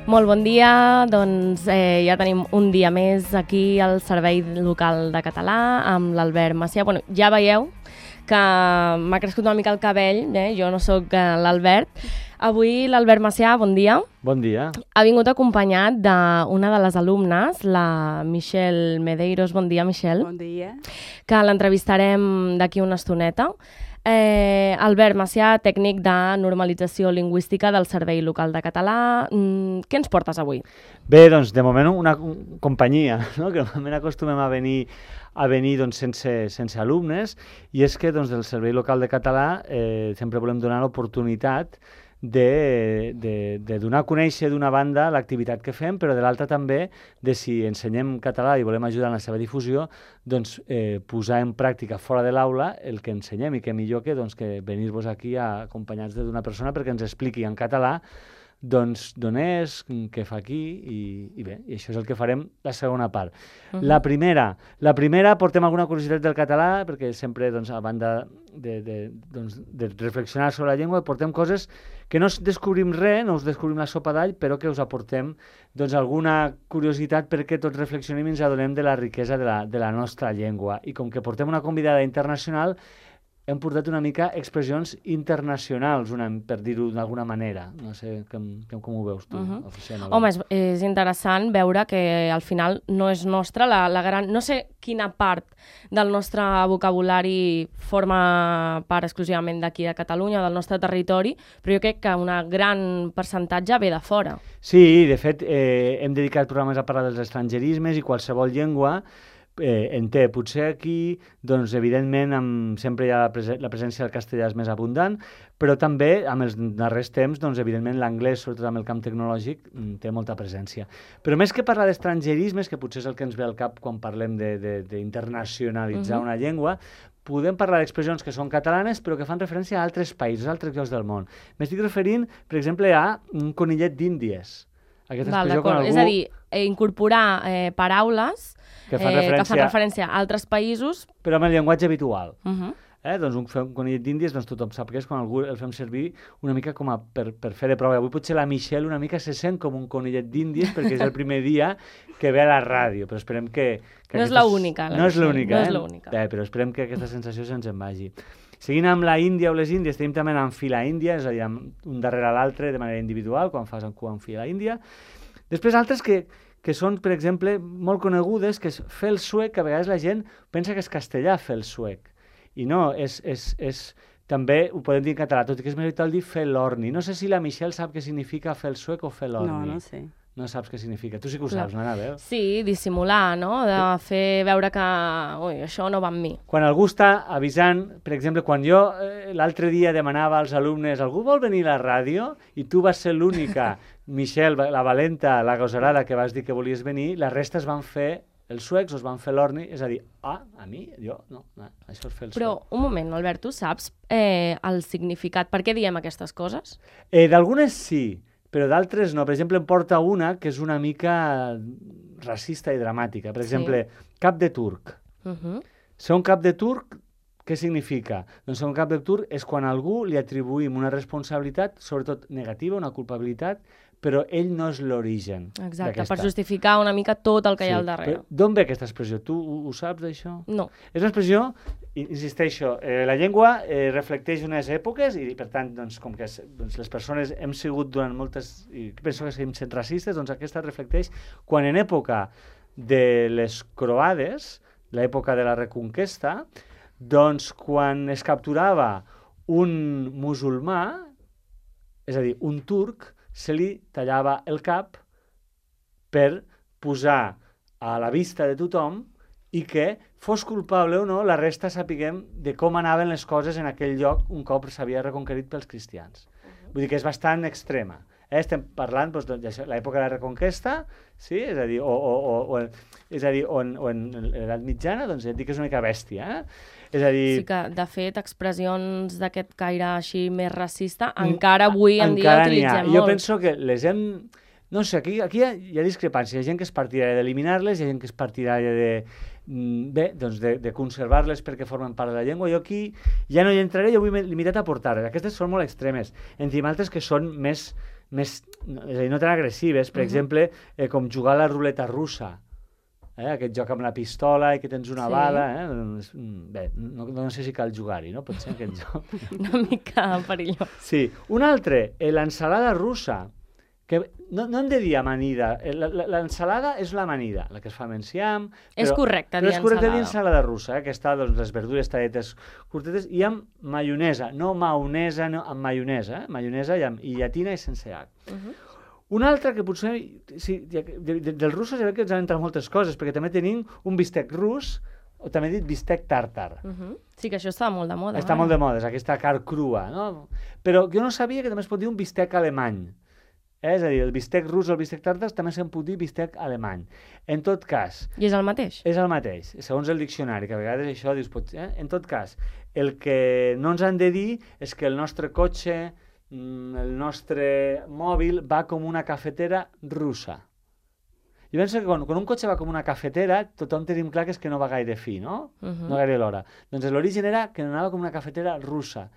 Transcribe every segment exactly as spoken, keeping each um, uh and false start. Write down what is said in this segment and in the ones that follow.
Molt bon dia, doncs eh, ja tenim un dia més aquí al Servei Local de Català amb l'Albert Macià. Bueno, ja veieu que m'ha crescut una mica el cabell, eh? Jo no sóc eh, l'Albert. Avui l'Albert Macià, bon dia. Bon dia. Ha vingut acompanyat d'una de les alumnes, la Michelle Medeiros. Bon dia, Michelle. Bon dia. Que l'entrevistarem d'aquí una estoneta. Eh, Albert Macià, tècnic de normalització lingüística del Servei Local de Català. Mm, què ens portes avui? Bé, doncs, de moment una companyia, no? Que normalment acostumem a venir a venir doncs, sense, sense alumnes, i és que doncs, del Servei Local de Català eh, sempre volem donar l'oportunitat de, de, de donar a conèixer d'una banda l'activitat que fem, però de l'altra també de si ensenyem català i volem ajudar en la seva difusió, doncs eh, posar en pràctica fora de l'aula el que ensenyem, i que millor que, doncs, que venir-vos aquí acompanyats d'una persona perquè ens expliqui en català doncs d'on és, què fa aquí, i, i bé, i això és el que farem la segona part. Uh-huh. La primera, la primera portem alguna curiositat del català, perquè sempre, doncs, a banda de, de, doncs, de reflexionar sobre la llengua, portem coses que no descobrim res, no us descobrim la sopa d'all, però que us aportem doncs, alguna curiositat perquè tots reflexionem i ens adonem de la riquesa de la, de la nostra llengua. I com que portem una convidada internacional, hem portat una mica expressions internacionals, una, per dir-ho d'alguna manera. No sé com, com ho veus tu, uh-huh. Oficina. Home, és, és interessant veure que al final no és nostra la, la gran... No sé quina part del nostre vocabulari forma part exclusivament d'aquí de Catalunya, del nostre territori, però jo crec que una gran percentatge ve de fora. Sí, de fet, eh, hem dedicat programes a parlar dels estrangerismes i qualsevol llengua Eh, en té. Potser aquí, doncs, evidentment, amb, sempre hi ha la, prese la presència del castellà és més abundant, però també, amb els darrers temps, doncs, evidentment, l'anglès, sobretot amb el camp tecnològic, té molta presència. Però més que parlar d'estrangerismes, que potser és el que ens ve al cap quan parlem d'internacionalitzar uh-huh. una llengua, podem parlar d'expressions que són catalanes, però que fan referència a altres països, a altres llocs del món. M'estic referint, per exemple, a un conillet d'índies. Aquesta Val, expressió quan algú... És a dir, eh, incorporar eh, paraules que fan, eh, referència... que fan referència a altres països, però amb el llenguatge habitual. Uh-huh. eh? Doncs un, un conillet d'índies, doncs tothom sap que és quan algú el fem servir una mica com a per, per fer de prova. Avui potser la Michelle una mica se sent com un conillet d'índies perquè és el primer dia que ve a la ràdio, però esperem que... que no és aquestes... l'única. No és l'única, no eh? és l'única. Eh, però esperem que aquesta sensació se'ns en vagi. Seguint amb la Índia o les Índies, tenim també en fila índia, és a dir, un darrere l'altre de manera individual, quan fas en cua en fila índia. Després altres que, que són, per exemple, molt conegudes, que és fer el suec, que a vegades la gent pensa que és castellà fer el suec. I no, és, és, és, també ho podem dir en català, tot i que és més habitual dir fer l'orni. No sé si la Michelle sap què significa fer el suec o fer l'orni. No, no sé. No saps què significa. Tu sí que ho saps, no, Anabel? Sí, dissimular, no? De fer veure que ui, això no va amb mi. Quan algú està avisant, per exemple, quan jo eh, l'altre dia demanava als alumnes algú vol venir a la ràdio i tu vas ser l'única, Michelle, la valenta, la gosarada que vas dir que volies venir, la resta es van fer els suecs, es van fer l'orni, és a dir, ah, a mi? Jo? No, no, això és fer el suec. Però, un moment, Albert, tu saps eh, el significat? Per què diem aquestes coses? Eh, d'algunes sí, però d'altres no. Per exemple, em porta una que és una mica racista i dramàtica. Per exemple, sí. Cap de turc. Uh-huh. Ser un cap de turc, què significa? Doncs ser un cap de turc és quan a algú li atribuïm una responsabilitat, sobretot negativa, una culpabilitat, però ell no és l'origen. Exacte, per justificar una mica tot el que sí. hi ha al darrere. D'on ve aquesta expressió? Tu ho, ho saps, d'això? No. És una expressió, insisteixo, eh, la llengua eh, reflecteix unes èpoques i, per tant, doncs, com que doncs, les persones hem sigut durant moltes... i penso que hem sent racistes, doncs aquesta reflecteix quan en època de les croades, l'època de la Reconquesta, doncs quan es capturava un musulmà, és a dir, un turc, se li tallava el cap per posar a la vista de tothom i que, fos culpable o no, la resta sapiguem de com anaven les coses en aquell lloc un cop s'havia reconquerit pels cristians. Vull dir que és bastant extrema. Eh? Estem parlant doncs, de l'època de la Reconquesta, sí? És a dir, o, o, o, o, és a dir, o en, o en l'edat mitjana, doncs ja et dic que és una mica bèstia, eh? És a dir... Sí que, de fet, expressions d'aquest caire així més racista encara avui en dia utilitzem molt. Jo penso que les hem... No sé, aquí, aquí hi, ha, hi ha discrepància. Hi ha gent que és partidària d'eliminar-les, hi ha gent que és partidària de, bé, doncs de, de conservar-les perquè formen part de la llengua. Jo aquí ja no hi entraré, jo vull limitat a portar. Aquestes són molt extremes. En tenim altres que són més més, és a dir, no tan agressives, per uh -huh. exemple, eh, com jugar a la ruleta russa. Eh, aquest joc amb la pistola i que tens una sí. bala, eh? Doncs, bé, no, no sé si cal jugar-hi, no? Pot ser aquest joc. Una mica perillós. Sí. Un altre, eh, l'ensalada russa, que no, no hem de dir amanida, l'ensalada és l'amanida, la que es fa amb enciam, és correcte dir ensalada. Però és correcte dir ensalada russa, eh, que està, doncs, les verdures talletes curtetes, i amb maionesa, no maonesa, no, amb maionesa, eh? Maionesa i, amb, i llatina i sense H. Uh -huh. Un altre que potser, sí, de, de, de, dels russos ja veig que ens han entrat moltes coses, perquè també tenim un bistec rus, o també he dit bistec tàrtar. Uh -huh. Sí, que això està molt de moda. Està eh? molt de moda, és aquesta carn crua, no? Però jo no sabia que també es pot dir un bistec alemany. Eh? És a dir, el bistec rus o el bistec tàrtar també se'n pot dir bistec alemany. En tot cas... I és el mateix? És el mateix, segons el diccionari, que a vegades això dius... Pot, eh? En tot cas, el que no ens han de dir és que el nostre cotxe, el nostre mòbil, va com una cafetera russa. Jo penso que quan, quan un cotxe va com una cafetera, tothom tenim clar que és que no va gaire fi, no? Uh -huh. No gaire l'hora. Doncs l'origen era que anava com una cafetera russa.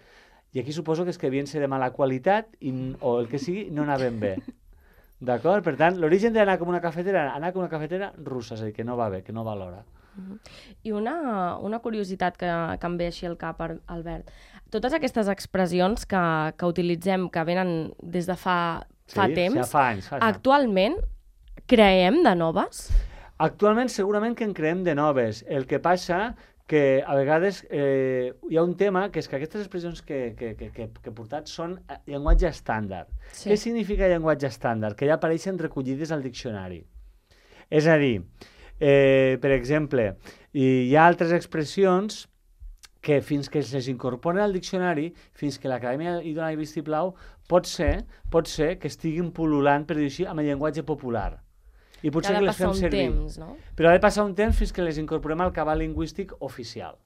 I aquí suposo que és que devien ser de mala qualitat i, o el que sigui, no anaven bé. D'acord? Per tant, l'origen d'anar com una cafetera, anar com una cafetera russa, és a dir, que no va bé, que no va l'hora. Uh -huh. I una, una curiositat que, que em ve així al cap, Albert. Totes aquestes expressions que, que utilitzem, que venen des de fa, fa sí, temps, sí, fa anys, fa actualment creem de noves? Actualment segurament que en creem de noves. El que passa que a vegades eh, hi ha un tema que és que aquestes expressions que, que, que, que, que he portat són llenguatge estàndard. Sí. Què significa llenguatge estàndard? Que ja apareixen recollides al diccionari. És a dir, eh, per exemple, hi ha altres expressions que fins que es incorporen al diccionari, fins que l'Acadèmia hi dona el vistiplau, pot ser, pot ser que estiguin pul·lulant, per dir així, amb el llenguatge popular. I potser que les fem servir. Temps, no? Però ha de passar un temps fins que les incorporem al cabal lingüístic oficial.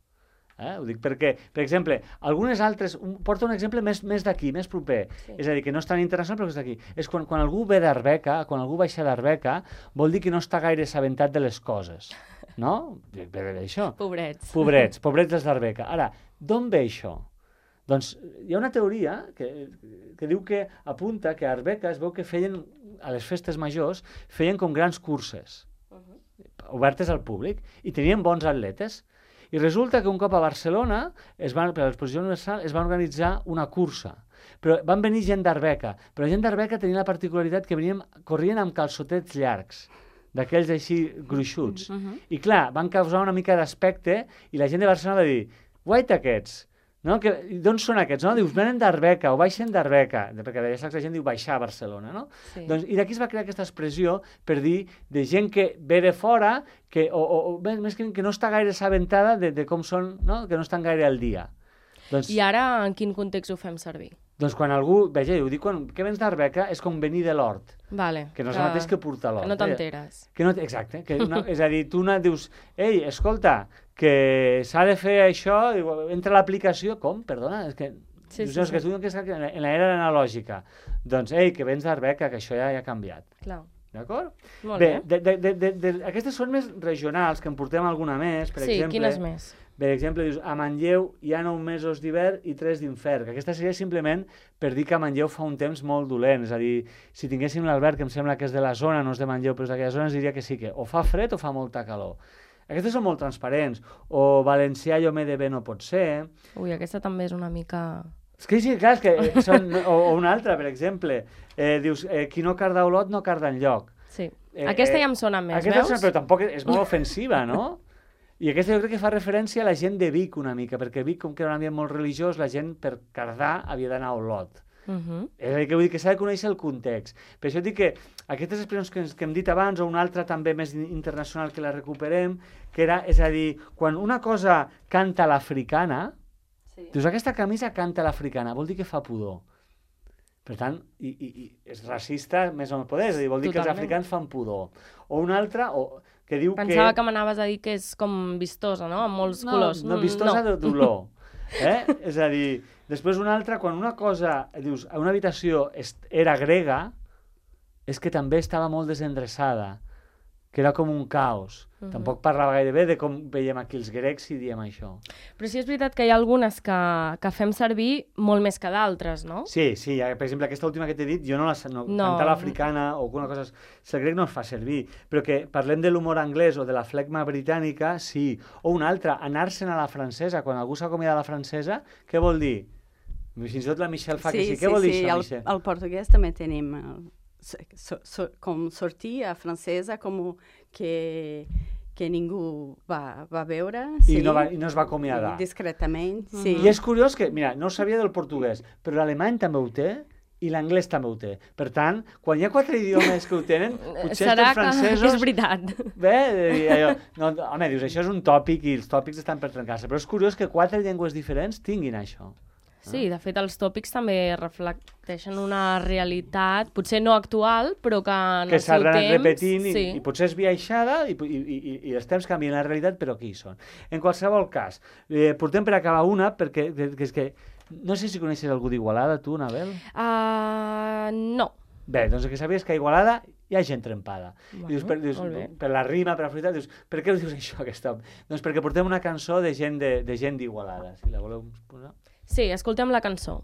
Eh? Ho dic perquè, per exemple, algunes altres... Un, porto un exemple més, més d'aquí, més proper. Sí. És a dir, que no és tan internacional, però és d'aquí. És quan, quan algú ve d'Arbeca, quan algú baixa d'Arbeca, vol dir que no està gaire assabentat de les coses. No? Per això. Pobrets. Pobrets, pobrets dels d'Arbeca. Ara, d'on ve això? Doncs hi ha una teoria que, que diu que apunta que a Arbeca es veu que feien, a les festes majors, feien com grans curses, uh -huh. obertes al públic, i tenien bons atletes. I resulta que un cop a Barcelona, es van, per a l'exposició universal, es van organitzar una cursa. Però van venir gent d'Arbeca, però gent d'Arbeca tenia la particularitat que venien, corrien amb calçotets llargs, d'aquells així gruixuts. Uh -huh. I clar, van causar una mica d'aspecte i la gent de Barcelona va dir, guaita aquests, no? D'on són aquests? No? Dius, venen d'Arbeca o baixen d'Arbeca, perquè de la gent diu baixar a Barcelona, no? Sí. Doncs, i d'aquí es va crear aquesta expressió per dir de gent que ve de fora, que, o, o, o més que, que no està gaire assabentada de, de com són, no? Que no estan gaire al dia. Doncs, I ara en quin context ho fem servir? Doncs quan algú, veja, ho dic, quan que vens d'Arbeca és com venir de l'hort. Vale, que no és que, el mateix que portar l'hort. Que no t'enteres. Eh? No, exacte. Que no, és a dir, tu una, dius, ei, escolta, que s'ha de fer això, entra a l'aplicació, com? Perdona, és que... Sí, dius, sí, no, és que tu que estàs en l'era analògica. Doncs, ei, que vens d'Arbeca, que això ja, ja ha canviat. Clar. D'acord? Molt bé. bé. De, de, de, de, de, aquestes són més regionals, que en portem alguna més, per sí, exemple... Sí, quines més? Per exemple, dius, a Manlleu hi ha nou mesos d'hivern i tres d'infern, que aquesta seria simplement per dir que a Manlleu fa un temps molt dolent, és a dir, si tinguéssim l'Albert, que em sembla que és de la zona, no és de Manlleu, però és d'aquella zona, ens diria que sí, que o fa fred o fa molta calor. Aquestes són molt transparents, o valencià jo m'he de bé no pot ser... Ui, aquesta també és una mica... És que sí, clar, és que són... o, o una altra, per exemple, eh, dius, eh, qui no carda Olot no carda enlloc. Sí, eh, aquesta ja em sona més, aquesta veus? Sona, però tampoc és, és molt ofensiva, no? I aquesta jo crec que fa referència a la gent de Vic una mica, perquè Vic, com que era un ambient molt religiós, la gent per cardar havia d'anar a Olot. Uh -huh. És a dir, que vull dir que s'ha de conèixer el context. Per això dic que aquestes expressions que, que hem dit abans, o una altra també més internacional que la recuperem, que era, és a dir, quan una cosa canta l'africana, sí. Dius, aquesta camisa canta l'africana, vol dir que fa pudor. Per tant, i, i, i és racista més o no poder, és a dir, vol dir Totalment. Que els africans fan pudor. O una altra... O, que diu Pensava que... que m'anaves a dir que és com vistosa, no? Amb molts no, colors. No, vistosa no. de dolor. Eh? És a dir, després una altra, quan una cosa, dius, una habitació era grega, és que també estava molt desendreçada. que era com un caos. Uh -huh. Tampoc parlava gaire bé de com veiem aquí els grecs i diem això. Però sí és veritat que hi ha algunes que, que fem servir molt més que d'altres, no? Sí, sí. Per exemple, aquesta última que t'he dit, jo no la sé, no, no. cantar l'africana o alguna cosa... El grec no es fa servir, però que parlem de l'humor anglès o de la flegma britànica, sí. O una altra, anar-se'n a la francesa. Quan algú s'acomiada a la francesa, què vol dir? Fins i tot la Michelle fa sí, que sí. sí Què vol sí, dir això, al, Michelle? al portuguès també tenim el, so, so, com sortir a francesa com que, que ningú va, va veure. Sí, I, no va, I no es va acomiadar. Discretament, sí. I és curiós que, mira, no ho sabia del portuguès, però l'alemany també ho té i l'anglès també ho té. Per tant, quan hi ha quatre idiomes que ho tenen, potser serà els francesos... que és veritat. Bé, allò, no, home, dius, això és un tòpic i els tòpics estan per trencar-se, però és curiós que quatre llengües diferents tinguin això. Sí, de fet, els tòpics també reflecteixen una realitat, potser no actual, però que en que el seu temps... s'han anat repetint i, sí. i potser és viaixada i, i, i, i els temps canvien la realitat, però aquí hi són. En qualsevol cas, eh, portem per acabar una, perquè que, que és que... No sé si coneixes algú d'Igualada, tu, Anabel? Uh, no. Bé, doncs el que sabies que a Igualada hi ha gent trempada. Bueno, dius, per, dius, per la rima, per la fruita, dius, per què ho dius això, aquest home? Doncs perquè portem una cançó de gent de, de gent d'Igualada, si la voleu posar. Sí, escoltem la cançó.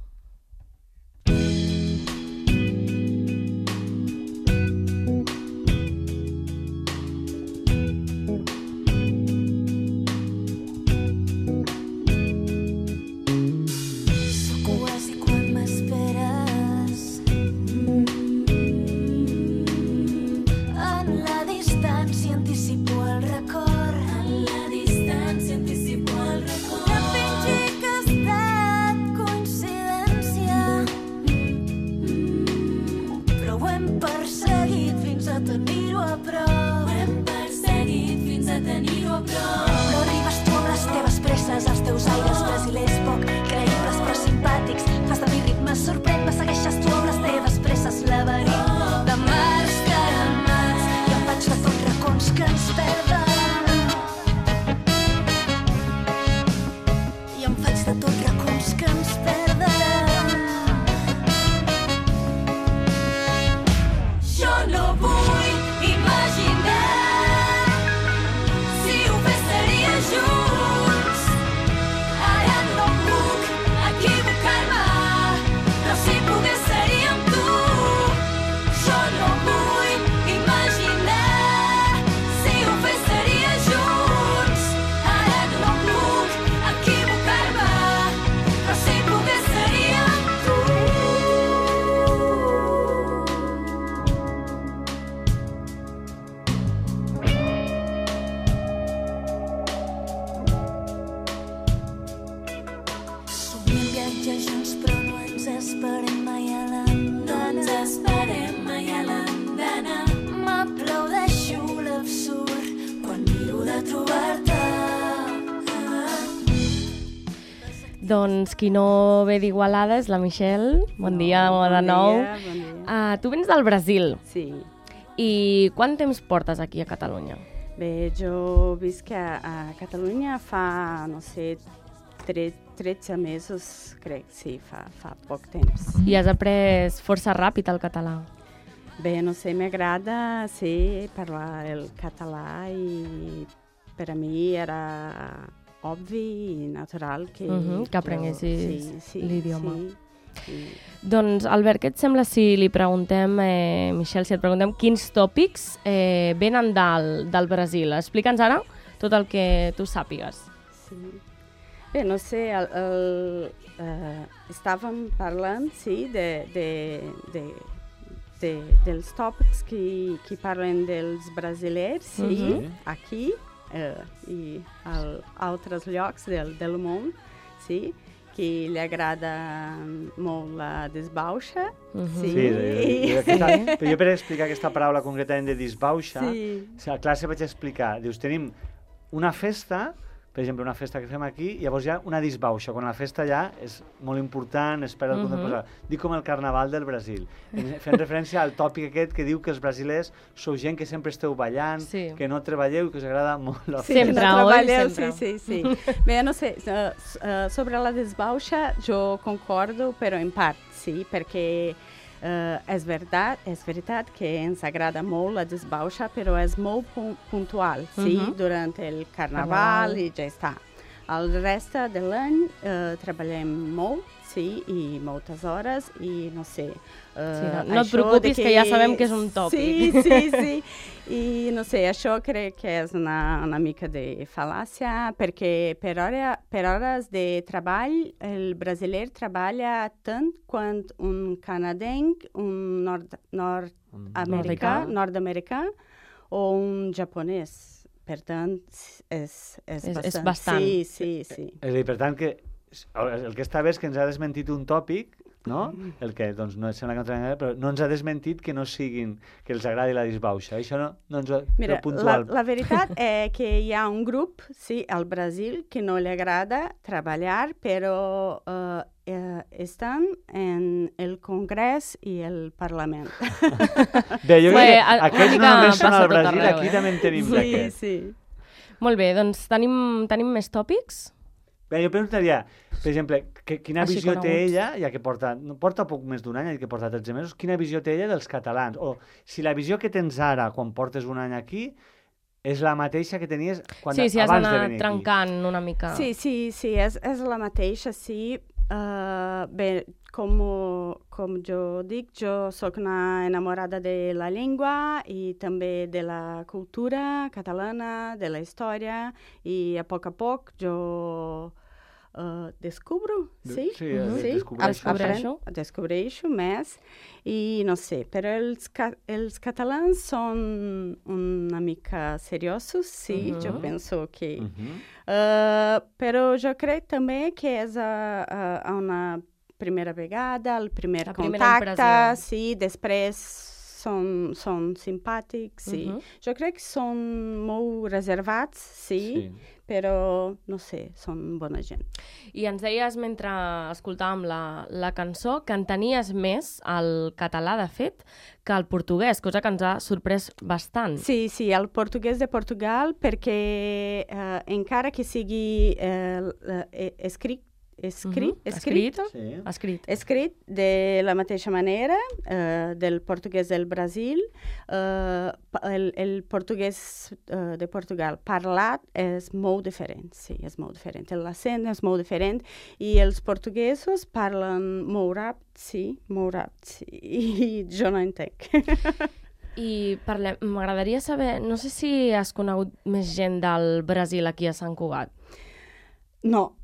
Doncs qui no ve d'Igualada és la Michelle. Bon no, dia, bon de nou. Dia, bon dia. Uh, tu vens del Brasil. Sí. I quant temps portes aquí a Catalunya? Bé, jo visc a, a Catalunya fa, no sé, tretze mesos, crec, sí, fa, fa poc temps. I has après força ràpid el català? Bé, no sé, m'agrada, sí, parlar el català i per a mi era obvi i natural que... Uh-huh, que aprenguessis sí, sí, l'idioma. Sí, sí. Doncs, Albert, què et sembla si li preguntem, eh, Michelle, si et preguntem quins tòpics eh, venen del, del Brasil? Explica'ns ara tot el que tu sàpigues. Sí. Bé, no sé, el, el, uh, estàvem parlant, sí, de, de, de, de, dels tòpics que, que parlen dels brasilers, sí, Uh-huh. aquí uh, i a altres llocs del, del món, sí, que li agrada molt la desbauxa. Uh-huh. Sí, Sí, jo, jo, aquesta, però jo per explicar aquesta paraula concretament de disbauxa, sí. a la classe vaig explicar, dius, tenim una festa, per exemple, una festa que fem aquí, i llavors hi ha una disbauxa, quan la festa ja és molt important, es perd el punt de posar. Dic com el Carnaval del Brasil, fent referència al tòpic aquest que diu que els brasilers sou gent que sempre esteu ballant, Sí. que no treballeu i que us agrada molt la Sí, festa. Sempre, no oi? treballeu, Sempre. Sí, sí, sí. Bé, no sé, uh, uh, sobre la desbauxa jo concordo, però en part, sí, perquè Uh, és, veritat, és veritat que ens agrada molt la disbauxa, però és molt pu puntual, sí? Uh-huh. Durant el carnaval i ja està. El reste de l'any uh, treballem molt, sí, i moltes hores, i no sé... Uh, sí, no, no et preocupis, que... que ja sabem que és un tòpic. Sí, sí, sí. I no sé, això crec que és una, una mica de fal·làcia, perquè per, hora, per hores de treball, el brasiler treballa tant quant un canadenc, un nord-americà, nord-americà o un japonès. Per tant, és, és, és, bastant. és bastant. Sí, sí, sí. És a dir, per tant, que el que està bé és que ens ha desmentit un tòpic, no? El que, doncs, no sembla que no treballem, però no ens ha desmentit que no siguin, que els agradi la disbauxa. Això no, no ens ho... Mira, puntual. La, la veritat és que hi ha un grup, sí, al Brasil, que no li agrada treballar, però uh, eh, estan en el Congrés i el Parlament. Bé, jo crec que aquests no només són al tot Brasil, arreu, aquí eh? també en tenim Sí, d'aquests. sí. Molt bé, doncs tenim, tenim més tòpics? Bé, jo preguntaria, per exemple, que, quina Així visió té coneguts. ella, ja que porta, no, porta poc més d'un any, ja que porta tretze mesos, quina visió té ella dels catalans? O si la visió que tens ara, quan portes un any aquí, és la mateixa que tenies quan, sí, sí, abans de has venir d'anar trencant una mica. Sí, sí, sí, és, és la mateixa, sí. Uh, bé, com, com jo dic, jo sóc una enamorada de la llengua i també de la cultura catalana, de la història, i a poc a poc jo uh, descubro, sí? Sí, uh -huh. sí? descobreixo. Descobreixo. Descobreixo més, i no sé, però els, ca els catalans són una mica seriosos, sí, uh -huh. jo penso que... Uh -huh. Uh, però jo crec també que és a, a, a una primera vegada, el primer la contacte, sí, després són, són simpàtics, sí. Uh -huh. Jo crec que són molt reservats, sí, sí, però, no sé, són bona gent. I ens deies, mentre escoltàvem la, la cançó, que entenies més el català, de fet, que el portuguès, cosa que ens ha sorprès bastant. Sí, sí, el portuguès de Portugal, perquè eh, encara que sigui eh, eh, escrit, escrit, uh -huh. escrit, sí. escrit, escrit de la mateixa manera eh, del portuguès del Brasil, eh, el, el portuguès eh, de Portugal parlat és molt diferent, sí, és molt diferent. L'accent és molt diferent i els portuguesos parlen molt ràpid, sí, molt ràpid, sí, i jo no entenc. I m'agradaria saber, no sé si has conegut més gent del Brasil aquí a Sant Cugat. No.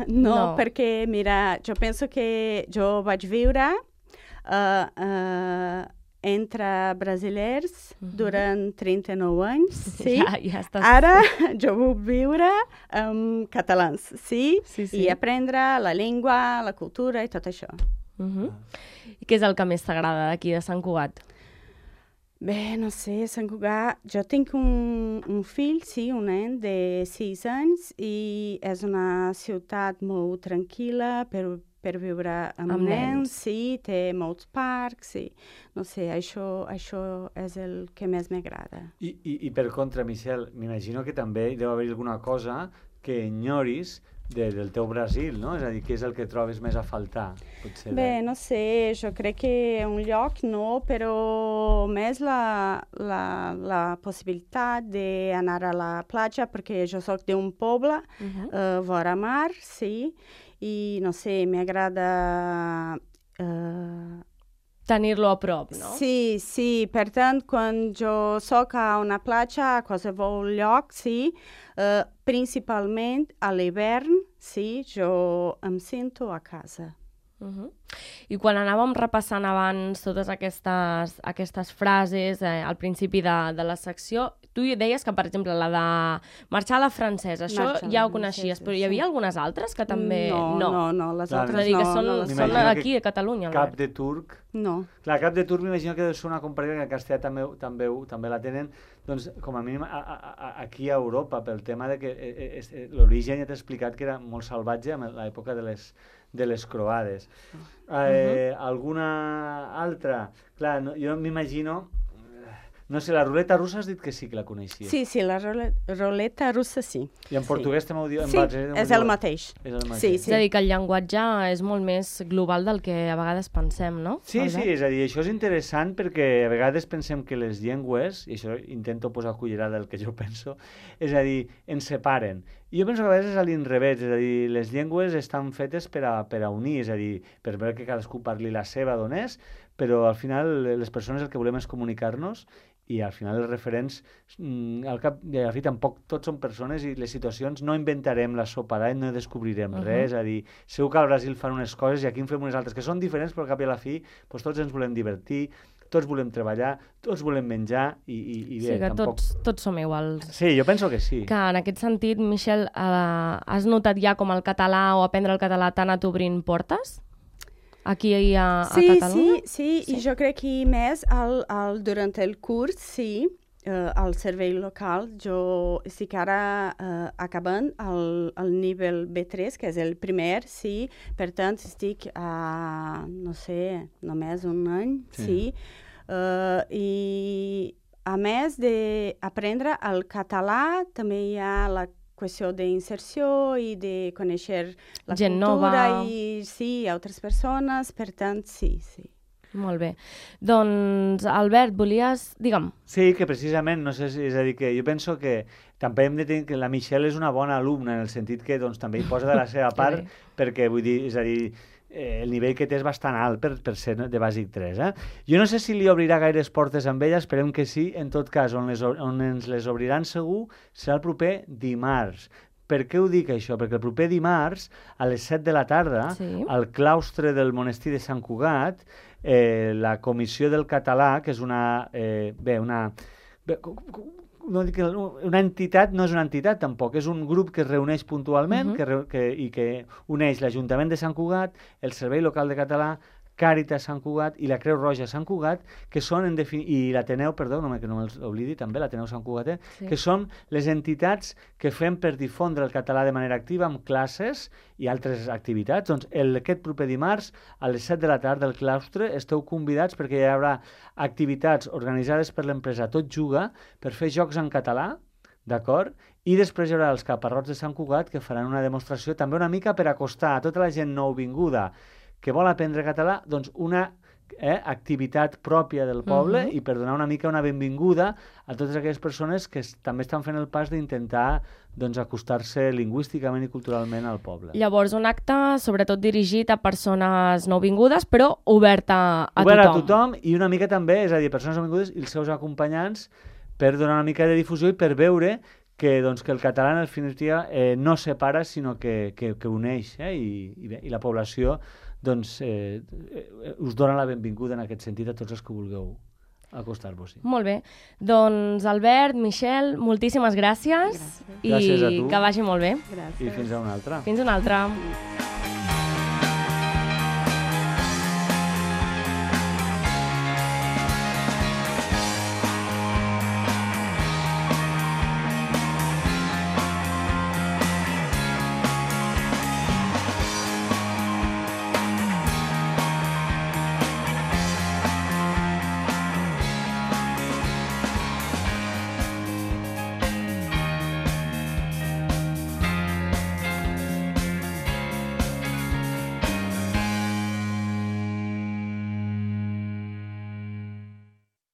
no, no, perquè, mira, jo penso que jo vaig viure uh, uh, entre brasilers uh -huh. durant trenta-nou anys, sí? ja, ja estàs... Ara jo vull viure amb catalans, sí? Sí, sí? I aprendre la llengua, la cultura i tot això. Uh -huh. I què és el que més t'agrada d'aquí de Sant Cugat? Bé, no sé, Sant Cugat... Jo tinc un, un fill, sí, un nen de sis anys, i és una ciutat molt tranquil·la per, per viure amb, amb nens, nens, sí, té molts parcs, sí. No sé, això, això és el que més m'agrada. I, i, I per contra, Michelle, m'imagino que també hi deu haver alguna cosa que enyoris de, del teu Brasil, no? És a dir, què és el que trobes més a faltar? Potser Bé, de... no sé, jo crec que un lloc no, però més la, la, la possibilitat d'anar a la platja, perquè jo soc d'un poble, uh -huh. uh, vora mar, sí, i no sé, m'agrada... Uh, tenir-lo a prop, no? Sí, sí, per tant, quan jo soc a una platja, a qualsevol lloc, sí, uh, principalment a l'hivern, sí, jo em sento a casa. Uh -huh. I quan anàvem repassant abans totes aquestes, aquestes frases eh, al principi de, de la secció, tu deies que, per exemple, la de marxar a la francesa, això marxar ja ho coneixies, però hi havia sí. algunes altres que també... No, no, no, no les Clar, altres és a dir, que no. són, no són aquí, a Catalunya. Cap Albert. de turc... No. Clar, cap de turc m'imagino que deu ser una comparació que en castellà també, també, també la tenen, doncs, com a mínim a, a, a, aquí a Europa, pel tema de que eh, eh, l'origen ja t'he explicat que era molt salvatge en l'època de les de les croades. Eh, uh -huh. Alguna altra? Clar, no, jo m'imagino... No sé, la ruleta russa has dit que sí que la coneixia. Sí, sí, la role- ruleta russa sí. I en sí. portuguès també ho diu? En Sí, base, és el mateix. És el mateix. Sí, És a dir, que el llenguatge és molt més global del que a vegades pensem, no? Sí, Albert? sí, és a dir, això és interessant perquè a vegades pensem que les llengües, i això intento posar cullerada del que jo penso, és a dir, ens separen. I jo penso que a vegades és a l'inrevés, és a dir, les llengües estan fetes per a, per a unir, és a dir, per veure que cadascú parli la seva d'on és, però al final les persones el que volem és comunicar-nos i al final els referents, mm, al cap i a la fi tampoc tots són persones i les situacions no inventarem la sopa d'all, no descobrirem uh -huh. res, és a dir, segur que al Brasil fan unes coses i aquí en fem unes altres que són diferents, però al cap i a la fi doncs tots ens volem divertir, tots volem treballar, tots volem menjar i, i, i bé, sí, que tampoc... tots, tots som iguals. Sí, jo penso que sí. Que en aquest sentit, Michel, eh, has notat ja com el català o aprendre el català t'ha anat obrint portes? Aquí a, a sí, Catalunya? Sí, sí, sí, i jo crec que més al, al, durant el curs, sí, eh, al servei local, jo estic ara eh, acabant el, el nivell B tres, que és el primer, sí, per tant estic a, no sé, només un any, sí, sí. Uh, i a més d'aprendre el català, també hi ha la qüestió d'inserció i de conèixer la gent cultura nova. i sí, altres persones, per tant, sí, sí. Molt bé. Doncs, Albert, volies... Digue'm. Sí, que precisament, no sé si... És a dir, que jo penso que també hem de tenir que la Michelle és una bona alumna, en el sentit que doncs, també hi posa de la seva part, perquè, vull dir, és a dir, eh, el nivell que té és bastant alt per, per ser de bàsic tres. Eh? Jo no sé si li obrirà gaires portes amb ella, esperem que sí. En tot cas, on, les, on ens les obriran segur serà el proper dimarts. Per què ho dic, això? Perquè el proper dimarts, a les set de la tarda, sí. al claustre del monestir de Sant Cugat, eh, la Comissió del Català, que és una... Eh, bé, una... Bé, no dic que una entitat no és una entitat tampoc, és un grup que es reuneix puntualment uh-huh. que, que, i que uneix l'Ajuntament de Sant Cugat, el Servei Local de Català, Càritas Sant Cugat i la Creu Roja Sant Cugat, que són, en defin... i l'Ateneu, perdó, no, que no me'ls oblidi, també l'Ateneu Sant Cugat, sí. que són les entitats que fem per difondre el català de manera activa amb classes i altres activitats. Doncs el, aquest proper dimarts, a les set de la tarda, al claustre, esteu convidats perquè hi haurà activitats organitzades per l'empresa Tot Juga per fer jocs en català, d'acord? I després hi haurà els caparrots de Sant Cugat que faran una demostració també una mica per acostar a tota la gent nouvinguda que vol aprendre català, doncs una eh, activitat pròpia del poble uh-huh. i per donar una mica una benvinguda a totes aquelles persones que es, també estan fent el pas d'intentar doncs, acostar-se lingüísticament i culturalment al poble. Llavors, un acte sobretot dirigit a persones nouvingudes, però obert a, a obert tothom. a tothom i una mica també, és a dir, persones nouvingudes i els seus acompanyants per donar una mica de difusió i per veure que, doncs, que el català en definitiva eh, no separa sinó que, que, que uneix eh? I, i, bé, i la població doncs, eh, eh, us dona la benvinguda en aquest sentit a tots els que vulgueu acostar-vos. Sí. Molt bé. Doncs Albert, Michel, moltíssimes gràcies, gràcies. i Gràcies a tu. que vagi molt bé. Gràcies. I fins a una altra. Fins una altra.